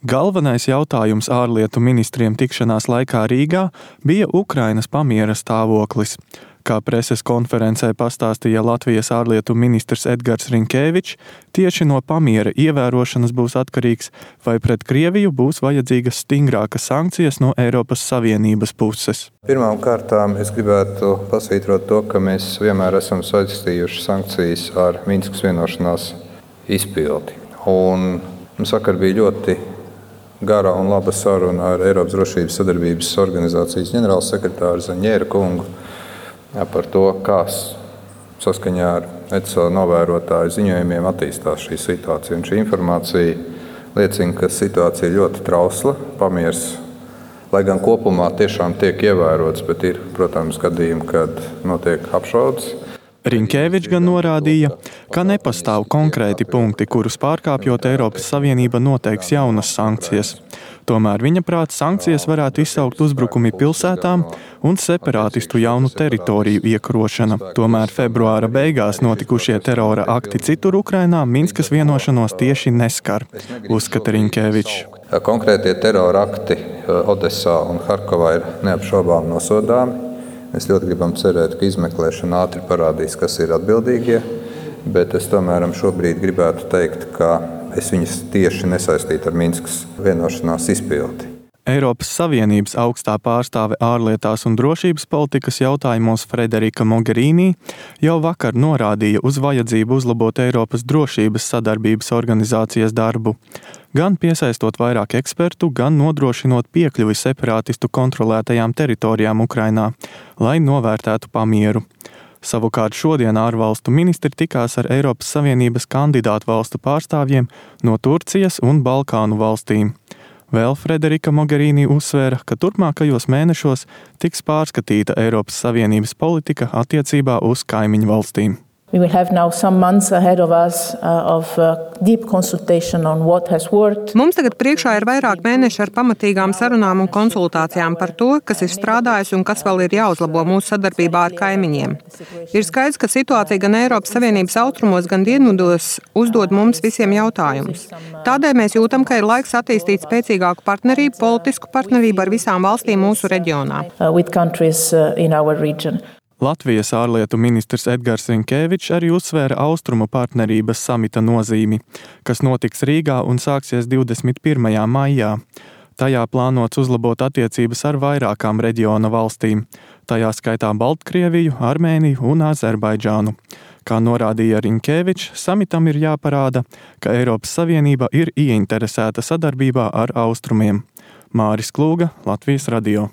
Galvenais jautājums ārlietu ministriem tikšanās laikā Rīgā bija Ukrainas pamiera stāvoklis. Kā preses konferencē pastāstīja Latvijas ārlietu ministrs Edgars Rinkēvičs, tieši no pamiera ievērošanas būs atkarīgs, vai pret Krieviju būs vajadzīgas stingrākas sankcijas no Eiropas Savienības puses. Pirmām kārtām es gribētu pasvītrot to, ka mēs vienmēr esam saistījuši sankcijas ar Minskas vienošanās izpildi. Un vakar bija ļoti gara un laba saruna ar Eiropas drošības sadarbības organizācijas ģenerālsekretāru Zaņēra kungu par to, kā saskaņā ar ECO novērotāju ziņojumiem attīstās šī situācija. Un šī informācija liecina, ka situācija ir ļoti trausla. Pamiers, lai gan kopumā tiešām tiek ievērots, bet ir, protams, gadījumi, kad notiek apšaudes. Rinkēvičs gan norādīja, ka nepastāv konkrēti punkti, kurus pārkāpjot Eiropas Savienība noteiks jaunas sankcijas. Tomēr viņa prāt sankcijas varētu izsaukt uzbrukumi pilsētām un separātistu jaunu teritoriju iekarošana. Tomēr februāra beigās notikušie terora akti citur Ukrainā Minskas vienošanos tieši neskar, uzskata Rinkēvičs. Konkrētie terora akti Odesā un Harkovā ir neapšaubām nosodāmi. Mēs ļoti gribam cerēt, ka izmeklēšana ātri parādīs, kas ir atbildīgie, bet es tomēr šobrīd gribētu teikt, ka es viņus tieši nesaistītu ar Minskas vienošanās izpildi. Eiropas Savienības augstā pārstāve ārlietās un drošības politikas jautājumos Frederika Mogherini jau vakar norādīja uz vajadzību uzlabot Eiropas drošības sadarbības organizācijas darbu, gan piesaistot vairāk ekspertu, gan nodrošinot piekļuvi separātistu kontrolētajām teritorijām Ukrainā, lai novērtētu pamieru. Savukārt šodien ārvalstu ministri tikās ar Eiropas Savienības kandidātu valstu pārstāvjiem no Turcijas un Balkānu valstīm. Vēl Frederika Mogherini uzsvēra, ka turpmākajos mēnešos tiks pārskatīta Eiropas Savienības politika attiecībā uz kaimiņu valstīm. We will have now some months ahead of us of deep consultation on what has worked. Mums tagad priekšā ir vairāk mēneši ar pamatīgām sarunām un konsultācijām par to, kas ir strādājis un kas vēl ir jāuzlabo mūsu sadarbībā ar kaimiņiem. Ir skaidrs, ka situācija gan Eiropas Savienības austrumos, gan dienvidos uzdod mums visiem jautājumus. Tādēļ mēs jūtam, ka ir laiks attīstīt spēcīgāku partnerību, politisku partnerību ar visām valstīm mūsu reģionā. With countries in our region. Latvijas ārlietu ministrs Edgars Rinkēvičs arī uzsvēra Austrumu partnerības samita nozīmi, kas notiks Rīgā un sāksies 21. maijā. Tajā plānots uzlabot attiecības ar vairākām reģiona valstīm, tajā skaitā Baltkrieviju, Armēniju un Azerbaidžānu. Kā norādīja Rinkēvičs, samitam ir jāparāda, ka Eiropas Savienība ir ieinteresēta sadarbībā ar Austrumiem. Māris Klūga, Latvijas radio.